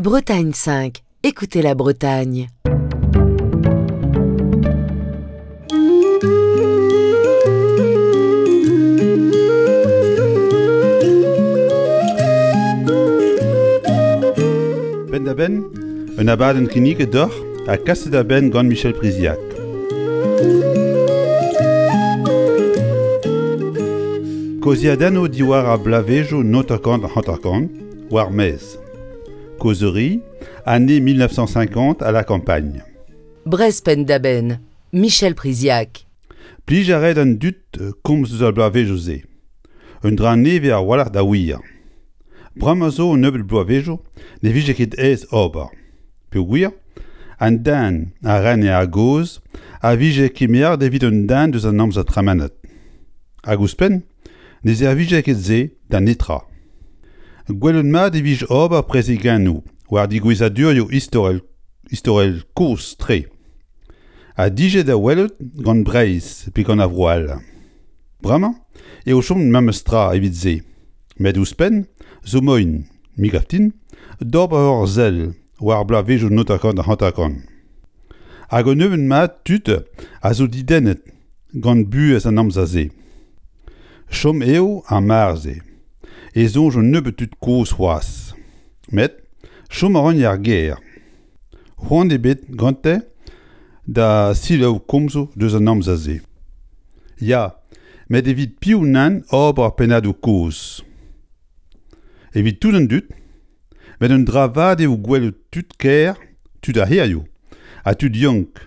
Bretagne 5, écoutez la Bretagne. Penn-da-benn, un abadenn kinniget deoc'h ha kaset a-benn gant Michel Priziac. Kaozeadennoù diwar ar bloavezhioù 1950 war maez. Causerie, année 1950 à la campagne. Brest penn-da-benn, Michel Priziac. Plij a rae d'an dud komz eus ar bloavezhioù-se. Un dra nevez a-walc'h da wir. Bremañ zo un nebeud bloavezhioù ne vije ket aes ober. Peogwir an den a rene a-gozh a vije kemeret evit un den deus an amzer tremenet. Hag ouzhpenn ne servije ket se da netra. Gwelet mat e vije ober prezegennoù war digouezadurioù istorel istorel kozh-tre ha dije da welout gant Breizh pe gant ar vro all. Bremañ eo chomet memes tra evit se, met ouzhpenn zo moaien, me 'gav din, d'ober ur sell war bloavezhioù 1950. Hag un nebeud mat tud a zo didennet gant buhez an amzer-se. Chom eo ar mare-se e soñj un nebeud tud kozh c'hoazh. Met chom a ran er gêr. C'hoant ebet gante da selaou komzoù deus an amzer-se. Ya, met evit piv nann ober pennadoù kozh? Evit tout an dud, met un dra vat eo gwelout tud kêr, tud ar c'hêrioù ha tud yaouank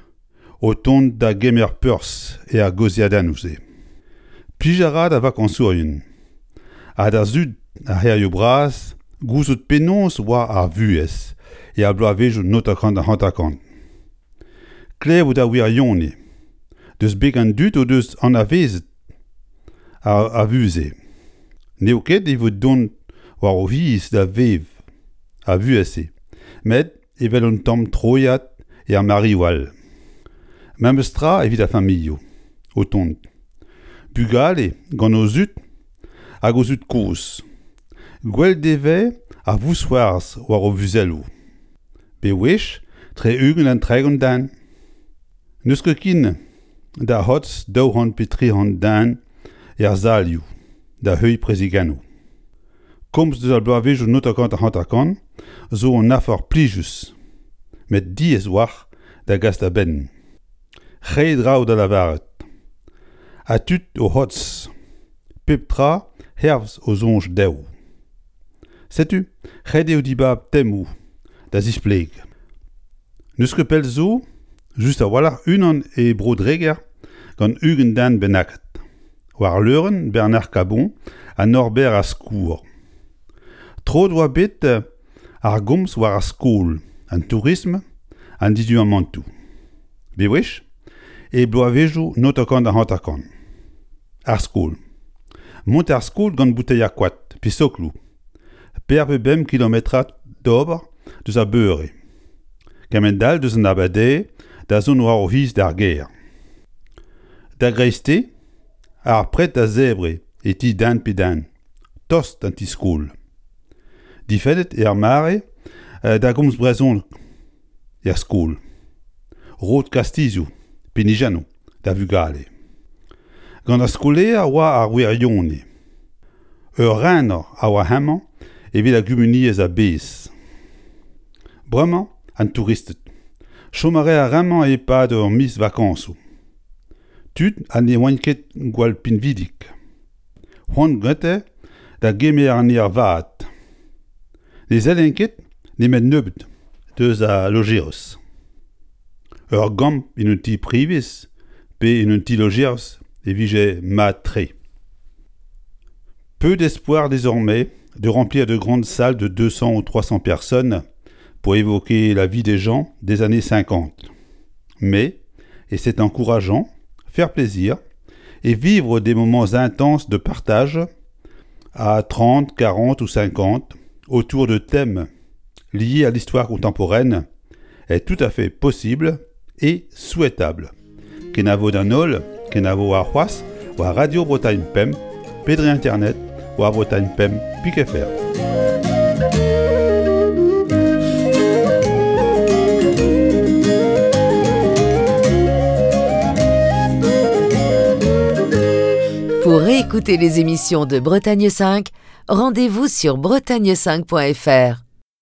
o tont da gemer perzh er gaozeadennoù-se. Plij a ra da vakañsourien ha da zud ar c'hêrioù bras gouzout penaos oa ar vuhez er bloavezhioù 1950. Klevout ar wirionez deus beg an dud o deus anavezet ar vuhez-se. N'eo ket evit dont war o c'hiz da vev ar vuhez-se, met evel un tamm troiad er mareoù all. Memes tra evit ar familhoù o tont. Bugale gant o zud hag o zud-kozh. Gwell devez ar vousc'hoarzh war o vuzelloù. Bewech tre 20 ha 30 den. N'eus ket ken da c'hortoz 200 pe 300 den er salioù da heuilh prezegennoù. Komz deus ar bloavezhioù 1950 zo un afer plijus, met diaes 'walc'h da gas da benn. Re draoù da lavaret. Ha tud o c'hortoz. Pep tra hervez o soñj dezho. Setu ret eo dibab temoù da zispleg. N'eus ket pell zo, just a-walc'h unan e Bro-Dreger gant 20 den bennaket. War leurenn Bernard Cabon ha Norbert Askour. Troet oa bet ar gomz war ar skol, an tourism, an diduamantoù. Bewech e bloavezhioù 1950. Ar skol. Mont d'ar skol gant bouteier koad pe sokloù. Per pe bemp kilometrad d'ober deus ar beure. Kement-all deus an abardaez da zont war o c'hiz d'ar gêr. Da greisteiz, ar pred da zebriñ e ti den pe den, tost d'an ti-skol. Difennet eo ar mare da gomz brezhoneg er skol. Roet kastizioù, pinijennoù da vugale. Gant ar skolaer oa ar wirionez. Ur rener a oa hemañ evit ar gumuniezh a-bezh. Bremañ an touristed. Chom a rae ar re-mañ e-pad ur miz vakañsoù. Tud ha ne oant ket gwall pinvidik. C'hoant gante da gemer an aer vat. Ne sellent ket nemet nebeut deus al lojeris. Ur gambr en un ti privez pe en un ti-lojeris e vije mat-tre. Peu d'espoir désormais de remplir de grandes salles de 200 ou 300 personnes pour évoquer la vie des gens des années 50. Mais, et c'est encourageant, faire plaisir et vivre des moments intenses de partage à 30, 40 ou 50 autour de thèmes liés à l'histoire contemporaine est tout à fait possible et souhaitable. Kenavo d'an holl, kenavo warc'hoazh war Radio Bretagne Pemp, pe dre internet war Bretagne Pemp pik fr. Pour réécouter les émissions de Bretagne 5, rendez-vous sur bretagne5.fr.